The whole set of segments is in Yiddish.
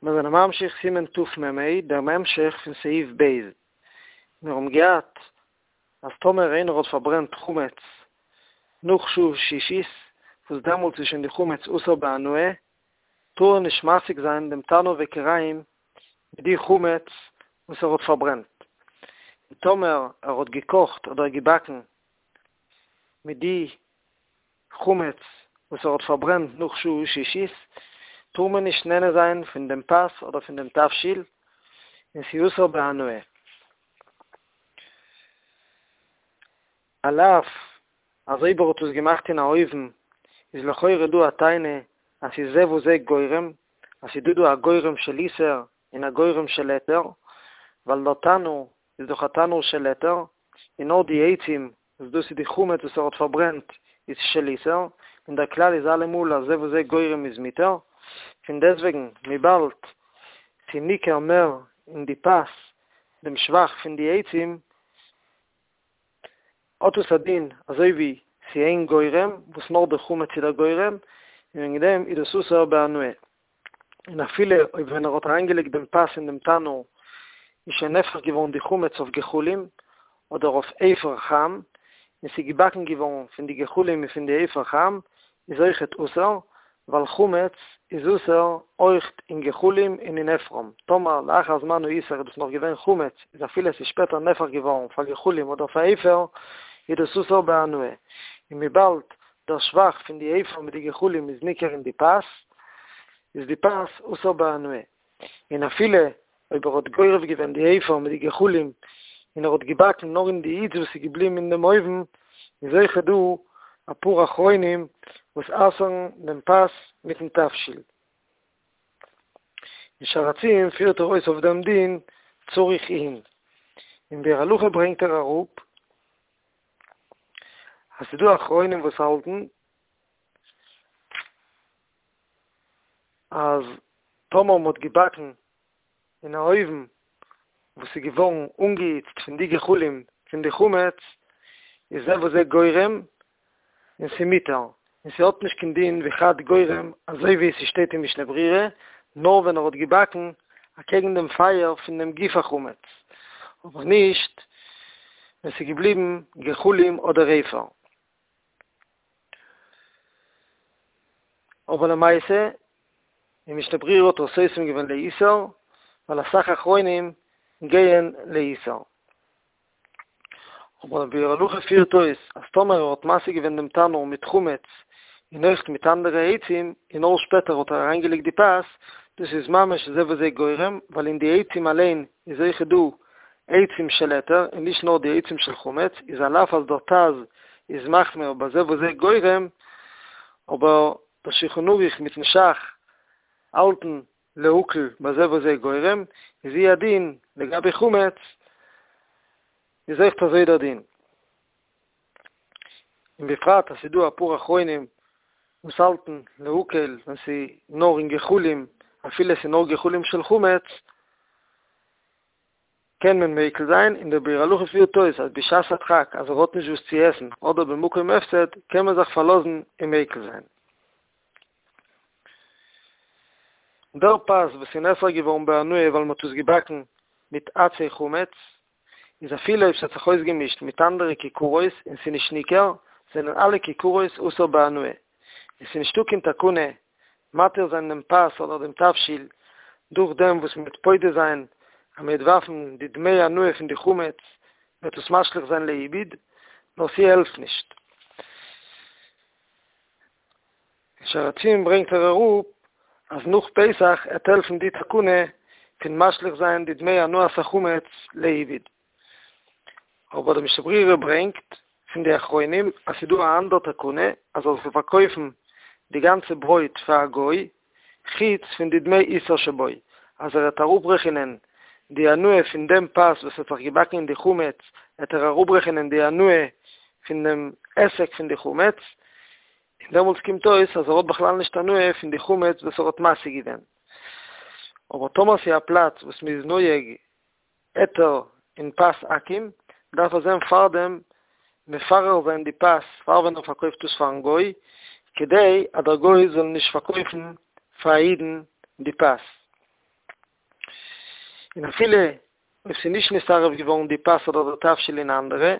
מיר זענען ממשיך סימן תמ"ה, דעם המשך פון סעיף ב'. מיר האבן געהאט אז טאמער איינער האט פארברענט חמץ נאך שעה שישית, וואס דעמאלטס איז שוין די חמץ אסור בהנאה, טאר ער נישט מסיק זיין דעם תנור וכירים מיט די חמץ וואס ער האט פארברענט. און טאמער ער האט געקאכט אדער געבאקן מיט די חמץ וואס ער האט פארברענט נאך שעה שישית, טאר מען נישט נהנה זיין פון דעם פת אדער פון דעם תבשיל, און ס'איז אסור בהנאה. על אף אז אויב ער האט עס געמאכט אין א אויוון, איז לכאורה דא א טענה אז ס'איז זה וזה גורם, אז ס'איז דא דא א גורם של איסור און א גורם של היתר, ווייל דער תנור איז דאך א תנור של היתר, און נאר די עצים וואס דאס איז די חמץ וואס ער האט פארברענט איז של איסור, און דער כלל איז אלעמאל אז זה וזה גורם איז מותר, פון דעסוועגן וויבאלד ס'איז ניכר מער אין די פת דעם שבח פון די עצים, האט עס א דין אזוי ווי ס'איז איין גורם וואס נאר די חמץ איז דער גורם, און וועגן דעם איז דאס אסור בהנאה. און אפילו אויב ווען ער האט אריינגעלייגט דעם פת אין דעם תנור איז שוין נהפך געווארן די חמץ אויף גחלים אדער אויף אפר חם, און ס'איז געבאקן געווארן פון די גחלים און פון די אפר חם, איז אויכעט אסור, ווייל חמץ איז אסור אויכט אין גחלים און אין אפרם, טאמער לאחר זמן האיסור איז דאס נאך געווען חמץ, איז אפילו עס איז שפעטער נהפך געווארן פאר גחלים אדער פאר אפר, איז דאס אסור בהנאה, און וויבאלד דער שבח פון די אפר מיט די גחלים איז ניכר אין די פת, איז די פת אסור בהנאה. און אפילו אויב ער האט גורף געווען די אפר מיט די גחלים און ער האט געבאקן נאר אין די היץ וואס איז געבליבן אין דעם אויוון, איז אויכעט דא אפאר אחרונים וואס אסר'ן דעם פת מיט'ן תבשיל. אין שער הציון פירט ער אויס אויף דעם דין צריך עיון. אין ביאור הלכה ברענגט ער אראפ אז ס'איז דא אחרונים וואס האלטן אז טאמער מ'האט געבאקן אין א אויוון וואס איז געווארן אנגעהיצט פון די גחלים פון די חמץ, איז זה וזה גורם און ס'מותר, און ס'האט נישט קיין דין ווי חד גורם אזוי ווי ס'שטייט אין משנה ברורה, נאר ווען ער האט געבאקן אקעגן דעם פייער פון דעם גוף החמץ, אבער נישט ווען ס'איז געבליבן גחלים אדער אפר. אבער למעשה, אין משנה ברורה האט ער סותם געווען לאיסור, ווייל אסאך אחרונים גייען לאיסור. אבער דער ביאור הלכה פירט אויס אז טאמער ער האט מסיק געווען דעם תנור מיט חמץ און אויכט מיט אנדערע עצים און נאר שפעטער האט ער אריינגעלייגט די פת, דאס איז ממש זה וזה גורם, ווייל אין די עצים אליין איז אויכעט דא עצים של היתר און נישט נאר די עצים של חמץ, איז על אף אז דער ט"ז איז מחמיר בזה וזה גורם, אבער דער שולחן ערוך מיטן ש"ך האלטן להקל בזה וזה גורם, איז הוא הדין לגבי חמץ, איז אויכט אזוי דער דין. און בפרט אז ס'איז דא אפאר אחרונים וואס האלטן להקל ווען ס'איז נאר אין גחלים, אפילו ס'איז נאר גחלים של חמץ, קען מען מיקל זיין, און דער ביאור הלכה פירט אויס אז בשעת הדחק אז ער האט נישט וואס צו עסן אדער במקום הפסד קען מען זיך פארלאזן און מיקל זיין. דער פת וואס איז נאסר געווארן בהנאה ווייל מ'האט עס געבאקן מיט עצי חמץ, איז אפילו אויב ס'האט זיך אויסגעמישט מיט אנדערע כיכרות און ס'איז נישט ניכר, זענען אלע כיכרות אסור בהנאה, און ס'איז נישטא קיין תקנה מתיר זיין דעם פת אדער דעם תבשיל דורך דעם וואס מ'וועט פודה זיין אז מ'וועט ווארפן די דמי הנאה פון די חמץ וועט עס משליך זיין לאיבוד, נאר ס'העלפט נישט. אין שער הציון ברענגט ער אראפ אז נאך פסח עט העלפן די תקנה פון משליך זיין די דמי הנאת החמץ לאיבוד. אבער די משנה ברורה ברענגט פון די אחרונים אז ס'דא א אנדער תקנה אז ער זאל פארקויפן די גאנצע ברויט פאר א גוי חוץ פון די דמי איסור שבו, אז ער עט אראפרעכענען די הנאה פון דעם פת וואס האט זיך געבאקן אין די חמץ עט ער אראפרעכענען די הנאה פון דעם עסק פון די חמץ, און דעמאלטס קומט אויס אז ער האט בכלל נישט הנאה פון די חמץ וואס ער האט מסיק געווען. אבער טאמער ס'איז א פלאץ וואס מ'איז נוהג היתר אין פת עכו"ם, דארף ער זען פארדעם מפרר זיין די פת פאר ווען ער פארקויפט עס פארן גוי, כדי אז דער גוי זאל נישט פארקויפן פאר א אידן די פת. און אפילו אויב ס'איז נישט נתערב געווארן די פת אדער די תבשיל אין אנדערע,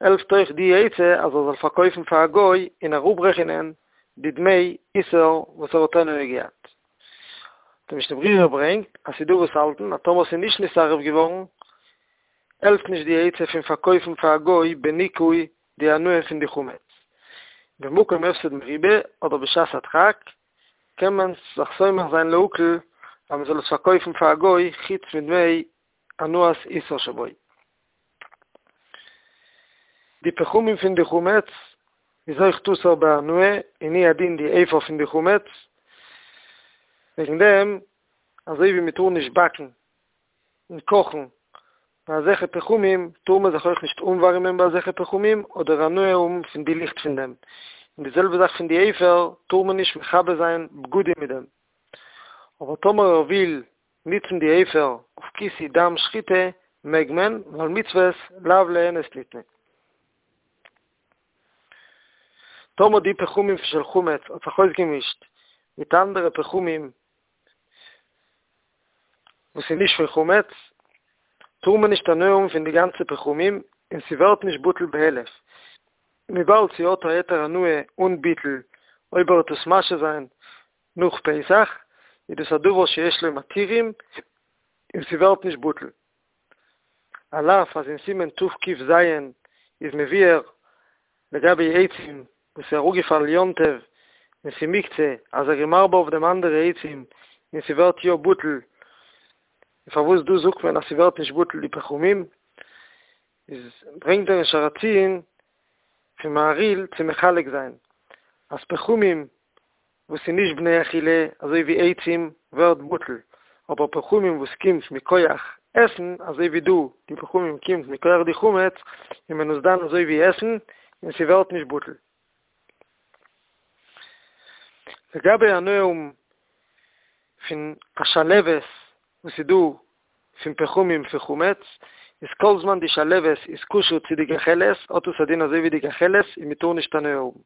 העלפט אויך די עצה אז ער זאל פארקויפן פאר א גוי און אראפרעכענען די דמי איסור וואס ער האט הנאה געהאט. די משנה ברורה ברענגט אז ס'דא וואס האלטן אז טאמער ס'איז נישט נתערב געווארן העלפט נישט די עצה פון פארקויפן פאר א גוי בניכוי די הנאה פון די חמץ. במקום הפסד מרובה אדער בשעת הדחק קען מען זיך סומך זיין להקל אז מ'זאל עס פארקויפן פאר א גוי חוץ מדמי הנאת איסור שבו. די פחמים פון די חמץ איז אויך אסור בהנאה און הוא הדין די אפר פון די חמץ, וועגן דעם אזוי ווי מ'טאר נישט באקן און קאכן ביי אזעלכע פחמים טאר מען זיך אויך נישט אנווארימען ביי אזעלכע פחמים אדער הנאה האבן פון די ליכט פון דעם, און די זעלבע זאך פון די אפר טאר מען נישט מכבה זיין בגדים מיט דעם, אבער טאמער ער וויל ניצן די אפר אויף כיסוי דם שחיטה מעג מען, ווייל מצוות לאו ליהנות ניתנה. טאמער די פחמים של חמץ האט זיך אויסגעמישט מיט אנדערע פחמים וואס איז נישט פון חמץ, טאר מען נישט הנאה האבן פון די גאנצע פחמים, און ס'ווערט נישט בטל באלף, וויבאלד ס'האט א היתר הנאה אן ביטול, אויב ער וועט עס משהה זיין נאך פסח, איז דאס א דבר שיש לו מתירים, און ס'ווערט נישט בטל. על אף אז אין סימן תק"ז איז מבואר לגבי עצים וואס איז אראפגעפאלן יום טוב און ס'איז מוקצה אז ער איז מרבה אויף דעם אנדערע עצים און ס'ווערט יא בטל, און פארוואס דא זאגט מען אז ס'ווערט נישט בטל די פחמים, איז ברענגט ער אין שער הציון פון מהרי"ל צו מחלק זיין אז פחמים וואס איז נישט בני אכילה אזוי ווי עצים ווערט בטל, אבער פחמים וואס קומט מכח עסן אזוי ווי דא די פחמים קומט מכח די חמץ איז מען עס דן אזוי ווי עסן און ס'ווערט נישט בטל. לגבי הנאה האבן פון א שלהבת וואס איז דא פון פחמים פון חמץ, איז כל זמן די שלהבת איז קשור צו די גחלת האט עס א דין אזוי ווי די גחלת און מ'טאר נישט הנאה האבן.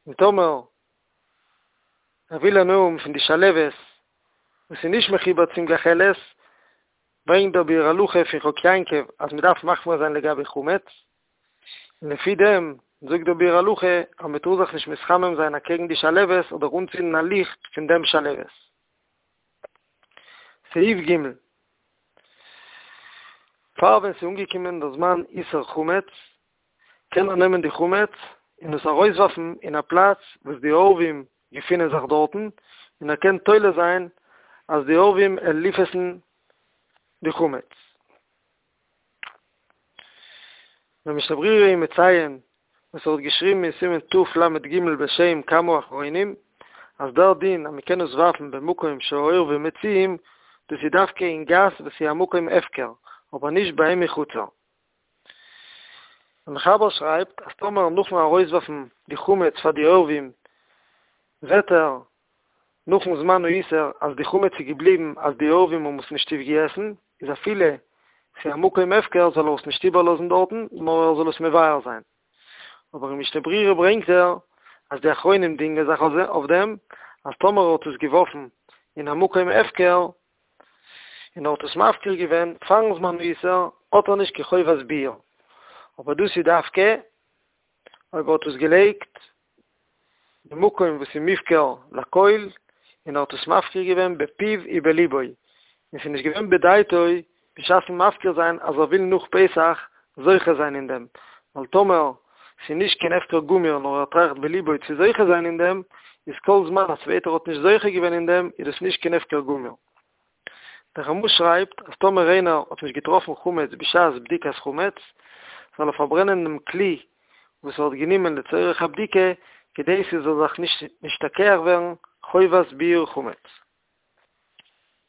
און טאמער ער וויל הנאה האבן פון די שלהבת וואס איז נישט מחובר צום גחלת, ברענגט דער ביאור הלכה פון חק יעקב אז מען דארף מחמיר זיין לגבי חמץ, און לפי דעם זאגט דער ביאור הלכה אז מען טאר זיך נישט מתחמם זיין אקעגן די שלהבת אדער אנצינדן א ליכט פון דעם שלהבת. סעיף ג'. פאר ווען ס'איז אנגעקומען דער זמן איסור חמץ, קען ער נעמען די חמץ און עס ארויסווארפן אין א פלאץ וואס די עורבים געפינען זיך דארטן, און ער קען תולה זיין אז די עורבים וועלן אויפעסן די חמץ. דער משנה ברורה איז מציין וואס ער האט געשריבן אין סימן תל"ג בשם כמה אחרונים, אז דער דין אז מען קען עס ווארפן במקום שהעורבים מצויים, דאס איז דווקא אין גאס וואס איז א מקום הפקר, אבער נישט ביי אים אין חצר. דער מחבר שרייבט אז טאמער נאכן ארויסווארפן די חמץ פאר די עורבים זעט ער נאכן זמן האיסור אז די חמץ איז געבליבן אז די עורבים האבן עס נישט אויפגעגעסן איז אפילו ס'איז א מקום הפקר זאל ער עס נישט איבערלאזן דארטן נאר ער זאל עס מבער זיין. אבער אין משנה ברורה ברענגט ער אז די אחרונים דינגען זיך אויף דעם אז טאמער ער האט עס געווארפן אין א מקום הפקר און ער האט עס מפקיר געווען פארן זמן האיסור, האט ער נישט קיין חובת ביעור, אבער דאס איז דווקא אויב ער האט עס געלייגט במקום וואס איז מופקר לכל, און ער האט עס מפקיר געווען בפיו ובליבו, און ס'איז נישט געווען בדעתו בשעת'ן מפקיר זיין אז ער וויל נאך פסח זוכה זיין אין דעם, ווייל טאמער ס'איז נישט קיין הפקר גמור נאר ער טראכט בליבו צו זוכה זיין אין דעם, איז כל זמן א צווייטער האט נישט זוכה געווען אין דעם איז דאס נישט קיין הפקר גמור. דער רמ"א שרייבט אז טאמער איינער האט נישט געטראפן חמץ בשעת בדיקת חמץ, זאל ער פארברענען דעם כלי וואס ער האט גענומען לצורך הבדיקה כדי ס'זאל זיך נישט נשתכח ווערן חובת ביעור חמץ.